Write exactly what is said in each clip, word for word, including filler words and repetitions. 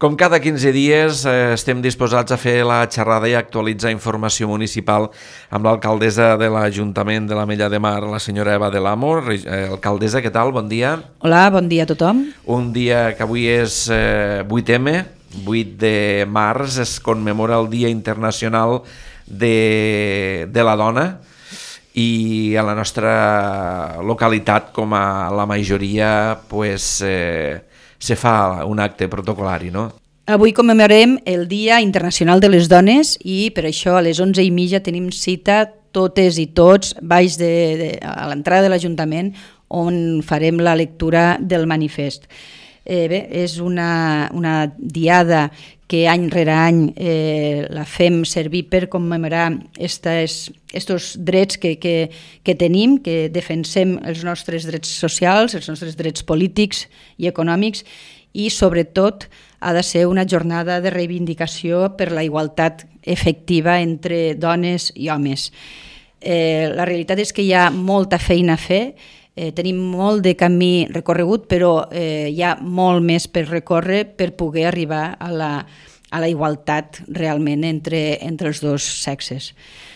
Com cada quinze dies eh, estem disposats a fer la xerrada i actualitzar informació municipal amb l'alcaldessa de l'Ajuntament de l'Ametlla de Mar, la senyora Eva del Amo. Eh, alcaldessa, què tal? Bon dia. Hola, bon dia a tothom. Un dia que avui és eh, vuit eme, vuit de març, es commemora el Dia Internacional de, de la Dona, i a la nostra localitat, com a la majoria, pues, eh, se fa un acte protocolari, no? Avui commemorem el Dia Internacional de les Dones i per això a les onze i mitja tenim cita totes i tots baix de, de, a l'entrada de l'Ajuntament, on farem la lectura del manifest. Eh, bé, és una, una diada que any rere any eh, la fem servir per commemorar aquests drets que, que, que tenim, que defensem els nostres drets socials, els nostres drets polítics i econòmics, i sobretot ha de ser una jornada de reivindicació per la igualtat efectiva entre dones i homes. Eh, la realitat és que hi ha molta feina a fer. Eh, tenim molt de camí recorregut, però eh, hi ha molt més per recórrer per poder arribar a la, a la igualtat realment entre, entre els dos sexes.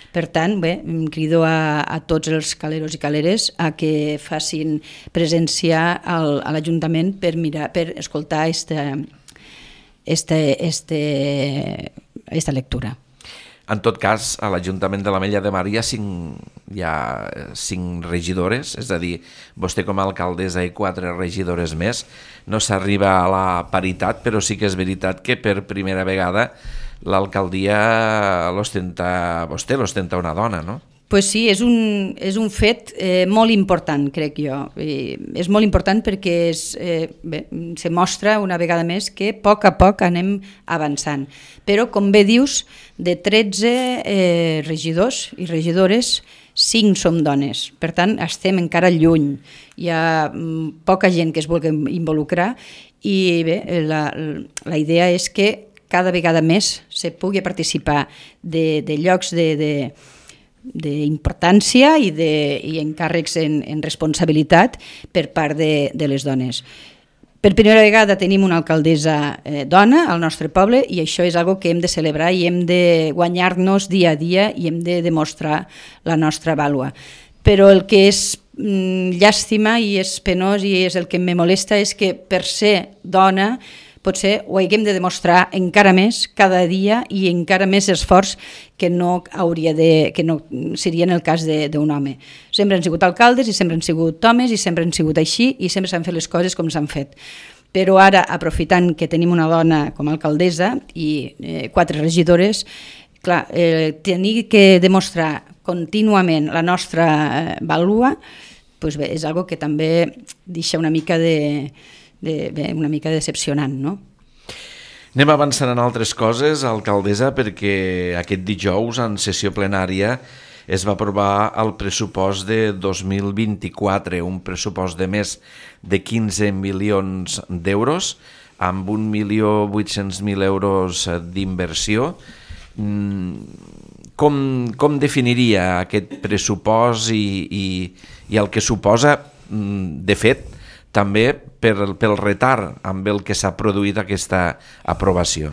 Per tant, bé, em crido a, a tots els caleros i caleres a que facin presència al, a l'Ajuntament per mirar, per escoltar esta, esta, esta, esta lectura. En tot cas, a l'Ajuntament de l'Ametlla de Mar hi ha cinc, hi ha cinc regidores, és a dir, vostè com a alcaldessa i quatre regidores més. No s'arriba a la paritat, però sí que és veritat que per primera vegada l'alcaldia l'ostenta vostè, l'ostenta una dona, no? Pues sí, és un, és un fet eh, molt important, crec jo. I és molt important perquè és, eh, bé, se mostra una vegada més que a poc a poc anem avançant. Però, com bé dius, de tretze eh, regidors i regidores, cinc som dones. Per tant, estem encara lluny. Hi ha mm, poca gent que es vulgui involucrar i bé, la, la idea és que cada vegada més se pugui participar de, de llocs de... de d'importància i, de, i encàrrecs en, en responsabilitat per part de, de les dones. Per primera vegada tenim una alcaldessa eh, dona al nostre poble i això és algo que hem de celebrar i hem de guanyar-nos dia a dia i hem de demostrar la nostra vàlua. Però el que és mm, llàstima i és penós i és el que me molesta és que per ser dona potser ho haguem de demostrar encara més cada dia i encara més esforç que no hauria de, que no seria en el cas d'un home. Sempre han sigut alcaldes i sempre han sigut homes i sempre han sigut així i sempre s'han fet les coses com s'han fet. Però ara, aprofitant que tenim una dona com a alcaldessa i eh, quatre regidores, clar, eh, tenir que demostrar contínuament la nostra eh, vàlua, doncs bé, és algo que també deixa una mica de... De, bé, una mica decepcionant, no? Anem avançant en altres coses, alcaldessa, perquè aquest dijous en sessió plenària es va aprovar el pressupost de dos mil vint-i-quatre, un pressupost de més de quinze milions d'euros, amb un milió vuit-cents mil euros d'inversió. Com, com definiria aquest pressupost i, i, i el que suposa, de fet, també per, pel retard amb el que s'ha produït aquesta aprovació?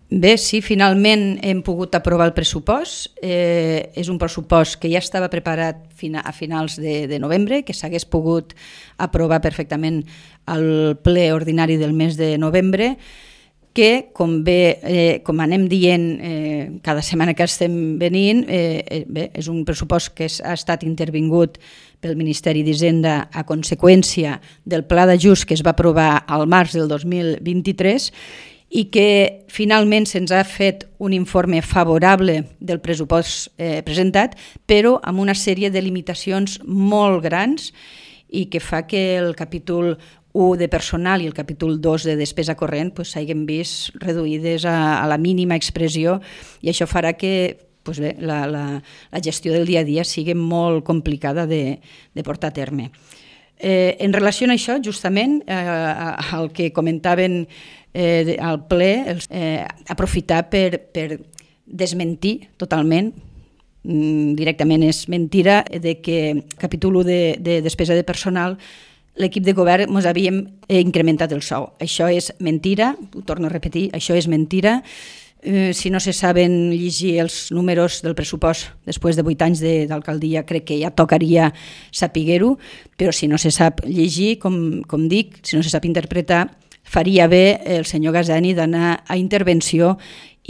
Bé, sí, finalment hem pogut aprovar el pressupost. Eh, és un pressupost que ja estava preparat a finals de, de novembre, que s'hagués pogut aprovar perfectament al ple ordinari del mes de novembre, que, com bé, eh, com anem dient eh, cada setmana que estem venint, eh, bé, és un pressupost que ha estat intervingut pel Ministeri d'Hisenda a conseqüència del pla d'ajust que es va aprovar al març del dos mil vint-i-tres i que finalment se'ns ha fet un informe favorable del pressupost eh, presentat, però amb una sèrie de limitacions molt grans i que fa que el capítol u de personal i el capítol dos de despesa corrent pues, s'hagin vist reduïdes a, a la mínima expressió i això farà que pues bé, la, la, la gestió del dia a dia sigui molt complicada de, de portar a terme. Eh, en relació a això, justament, eh, el que comentaven eh, al ple, eh, aprofitar per, per desmentir totalment, mm, directament és mentira, de que capítol u de, de despesa de personal l'equip de govern ens havíem incrementat el sou. Això és mentira, ho torno a repetir, això és mentira. Eh, si no se saben llegir els números del pressupost després de vuit anys d'alcaldia, crec que ja tocaria saber-ho, però si no se sap llegir, com, com dic, si no se sap interpretar, faria bé el senyor Gazani d'anar a intervenció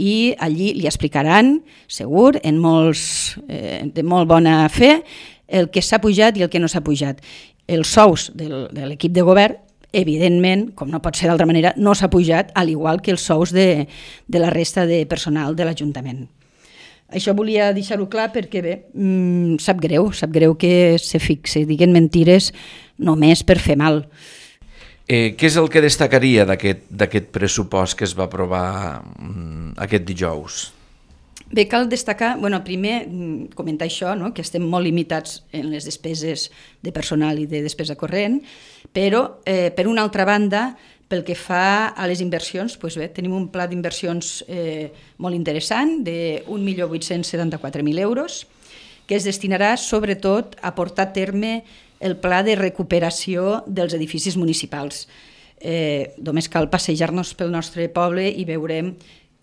i allí li explicaran, segur, en molts, eh, de molt bona fe, el que s'ha pujat i el que no s'ha pujat. Els sous del, de l'equip de govern, evidentment, com no pot ser d'altra manera, no s'ha pujat, al igual que els sous de, de la resta de personal de l'Ajuntament. Això volia deixar-ho clar perquè, bé, mmm, sap greu, sap greu que se fixe, diguen mentires només per fer mal. Eh, què és el que destacaria d'aquest pressupost que es va aprovar mm, aquest dijous? Bé, cal destacar, bueno, primer comentar això, no? Que estem molt limitats en les despeses de personal i de despesa corrent, però eh, per una altra banda, pel que fa a les inversions, doncs bé, tenim un pla d'inversions eh, molt interessant d'un milió vuit-cents setanta-quatre mil euros que es destinarà sobretot a portar a terme el pla de recuperació dels edificis municipals. Eh, només cal passejar-nos pel nostre poble i veurem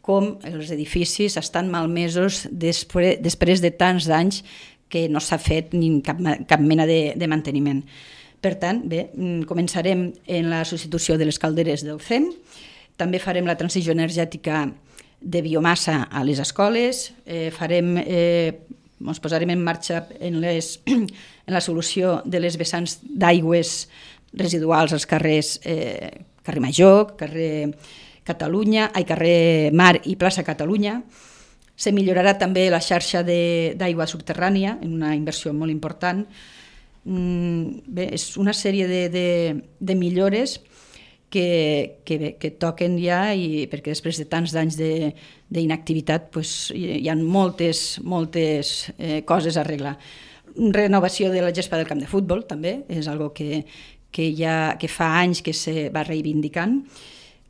com els edificis estan malmesos després, després de tants anys que no s'ha fet ni cap, cap mena de, de manteniment. Per tant, bé, començarem en la substitució de les calderes del C E M, també farem la transició energètica de biomassa a les escoles, eh, farem... Eh, ens posarem en marxa en, les, en la solució de les vessants d'aigües residuals als carrers eh, carrer Major, carrer Catalunya, ai, carrer Mar i plaça Catalunya. Se millorarà també la xarxa d'aigua subterrània, en una inversió molt important. Mm, bé, és una sèrie de, de, de millores que, que, bé, que toquen ja, i perquè després de tants anys d'inactivitat pues, hi ha moltes, moltes eh, coses a arreglar. Renovació de la gespa del camp de futbol també, és algo que, que, ja, que fa anys que se va reivindicant,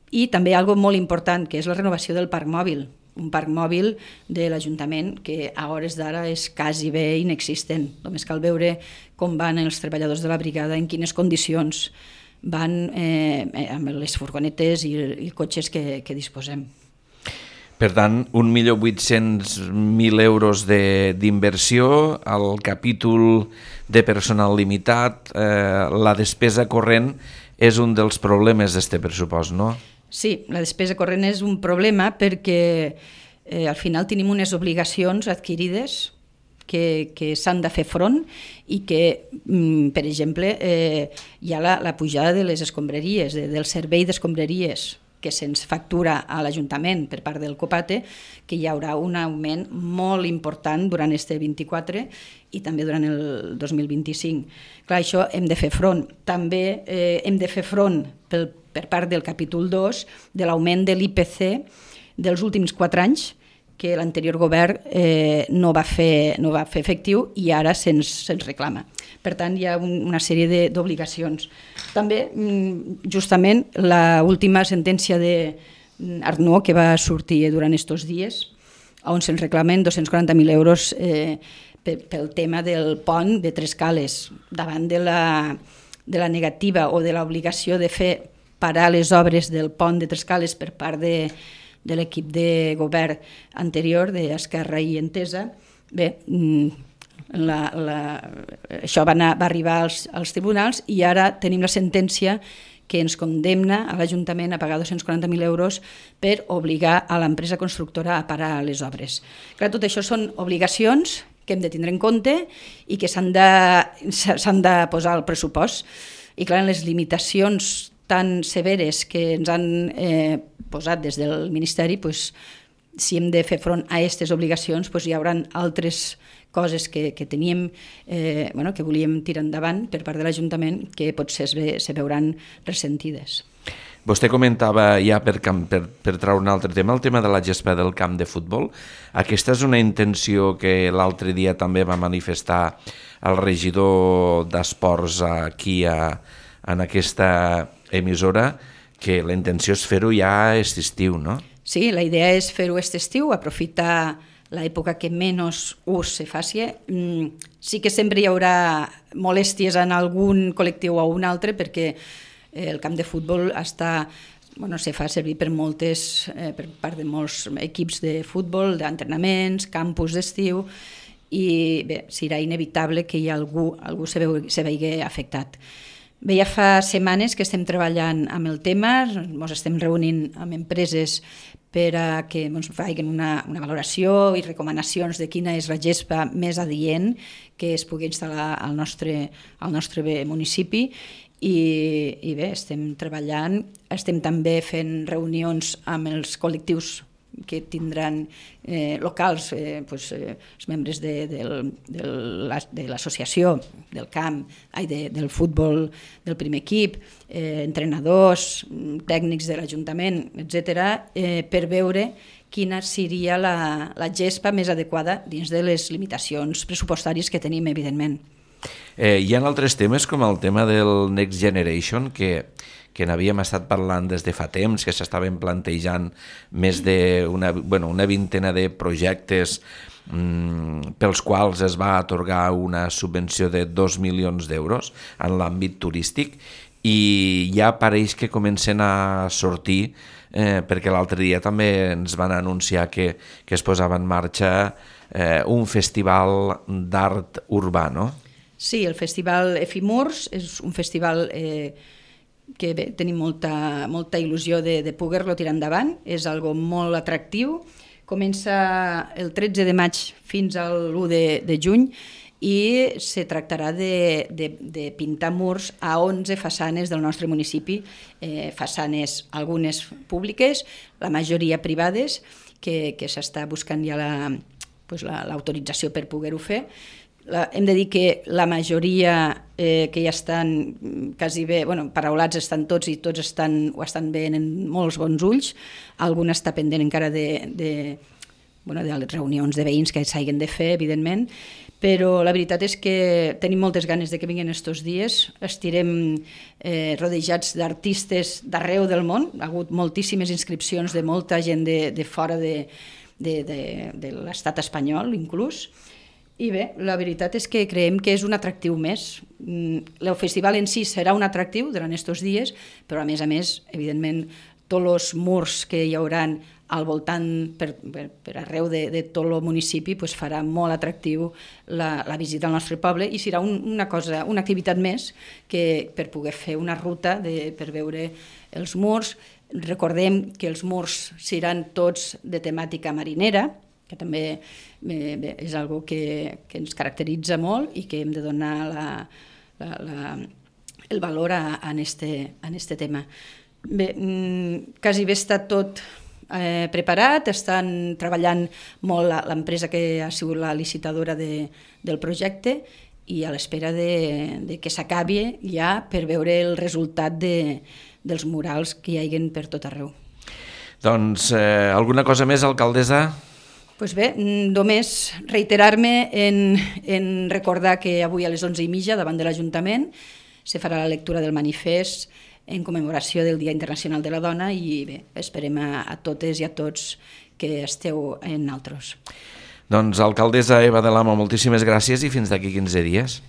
i també algo molt important, que és la renovació del parc mòbil, un parc mòbil de l'Ajuntament que a hores d'ara és quasi bé inexistent. Només cal veure com van els treballadors de la brigada, en quines condicions van eh, amb les furgonetes i, i cotxes que, que disposem. Per tant, un milió vuit-cents mil euros d'inversió, el capítol de personal limitat, eh, la despesa corrent és un dels problemes d'aquest pressupost, no? Sí, la despesa corrent és un problema perquè eh, al final tenim unes obligacions adquirides que, que s'han de fer front i que, mm, per exemple, eh, hi ha la, la pujada de les escombraries, de, del servei d'escombraries que se'ns factura a l'Ajuntament per part del COPATE, que hi haurà un augment molt important durant este vint-i-quatre i també durant el dos mil vint-i-cinc. Clar, això hem de fer front. També eh, hem de fer front pel, per part del capítol dos de l'augment de l'I P C dels últims quatre anys, que l'anterior govern eh, no, va fer, no va fer efectiu i ara se'ns se'ns reclama. Per tant, hi ha un, una sèrie d'obligacions. També, justament, l'última sentència d'Arnaud que va sortir durant aquests dies, on se'ns reclamen dos-cents quaranta mil euros eh, pel tema del pont de Tres Cales, davant de la, de la negativa o de l'obligació de fer parar les obres del pont de Tres Cales per part de de l'equip de govern anterior, d'Esquerra i Entesa. Bé, la, la, això va, anar, va arribar als, als tribunals i ara tenim la sentència que ens condemna a l'Ajuntament a pagar dos-cents quaranta mil euros per obligar a l'empresa constructora a parar les obres. Clar, tot això són obligacions que hem de tindre en compte i que s'han de, s'han de posar al pressupost. I clar, les limitacions tan severes que ens han eh, posat des del Ministeri, pues, si hem de fer front a aquestes obligacions, pues, hi haurà altres coses que, que teníem, eh, bueno, que volíem tirar endavant per part de l'Ajuntament que potser se, se veuran ressentides. Vostè comentava ja per, per, per treure un altre tema, el tema de la gespa del camp de futbol. Aquesta és una intenció que l'altre dia també va manifestar el regidor d'Esports aquí a, en aquesta emissora, que la intenció és fer-ho ja aquest estiu, no? Sí, la idea és fer-ho aquest estiu, aprofitar l'època que menys ús se faci. Mm, sí que sempre hi haurà molèsties en algun col·lectiu o un altre, perquè el camp de futbol està, bueno, se fa servir per moltes, eh, per part de molts equips de futbol, d'entrenaments, campus d'estiu, i bé, serà inevitable que hi ha algú, algú se, veu, se vegi afectat. Bé, ja fa setmanes que estem treballant amb el tema, ens estem reunint amb empreses per a que ens facin una, una valoració i recomanacions de quina és la gespa més adient que es pugui instal·lar al nostre, al nostre municipi. I, i bé, estem treballant, estem també fent reunions amb els col·lectius que tindran eh, locals, eh, pues, eh, els membres de, de, de, de l'associació del camp, ai, de, del futbol del primer equip, eh, entrenadors, tècnics de l'Ajuntament, etcètera, eh, per veure quina seria la, la gespa més adequada dins de les limitacions pressupostàries que tenim, evidentment. Eh, hi ha altres temes com el tema del Next Generation que, que n'havíem estat parlant des de fa temps, que s'estaven plantejant més d'una bueno, una vintena de projectes mm, pels quals es va atorgar una subvenció de dos milions d'euros en l'àmbit turístic, i ja pareix que comencen a sortir, eh, perquè l'altre dia també ens van anunciar que, que es posava en marxa eh, un festival d'art urbà, no? Sí, el Festival Efimurs és un festival eh, que bé, tenim molta, molta il·lusió de, de poder-lo tirar endavant, és algo molt atractiu, comença el tretze de maig fins a l'u de, de juny i se tractarà de, de, de pintar murs a onze façanes del nostre municipi, eh, façanes algunes públiques, la majoria privades, que, que s'està buscant ja la, pues la, l'autorització per poder-ho fer. La, hem de dir que la majoria eh, que ja estan quasi bé, bueno, paraulats estan tots i tots estan, ho estan veient en molts bons ulls. Algun està pendent encara de, de, bueno, de les reunions de veïns que s'hagin de fer, evidentment, però la veritat és que tenim moltes ganes de que vinguin estos dies. Estirem eh, rodejats d'artistes d'arreu del món, ha hagut moltíssimes inscripcions de molta gent de, de fora de, de, de, de l'estat espanyol, inclús. I bé, la veritat és que creiem que és un atractiu més. El festival en si serà un atractiu durant aquests dies, però a més a més, evidentment, tots els murs que hi hauran al voltant per, per, per arreu de, de tot el municipi pues farà molt atractiu la, la visita al nostre poble i serà un, una cosa, una activitat més que per poder fer una ruta de, per veure els murs. Recordem que els murs seran tots de temàtica marinera, que també eh, bé, és algo que, que ens caracteritza molt i que hem de donar la, la, la, el valor a, a, este, a este tema. Bé, quasi bé està tot eh, preparat, estan treballant molt l'empresa que ha sigut la licitadora de, del projecte i a l'espera de, de que s'acabi ja per veure el resultat de, dels murals que hi hagin per tot arreu. Doncs eh, alguna cosa més, alcaldessa? Pues bé, només reiterar-me en, en recordar que avui a les onze i mitja davant de l'Ajuntament se farà la lectura del manifest en commemoració del Dia Internacional de la Dona i bé, esperem a, a totes i a tots que esteu en altres. Doncs alcaldessa Eva de l'Amo, moltíssimes gràcies i fins d'aquí quinze dies.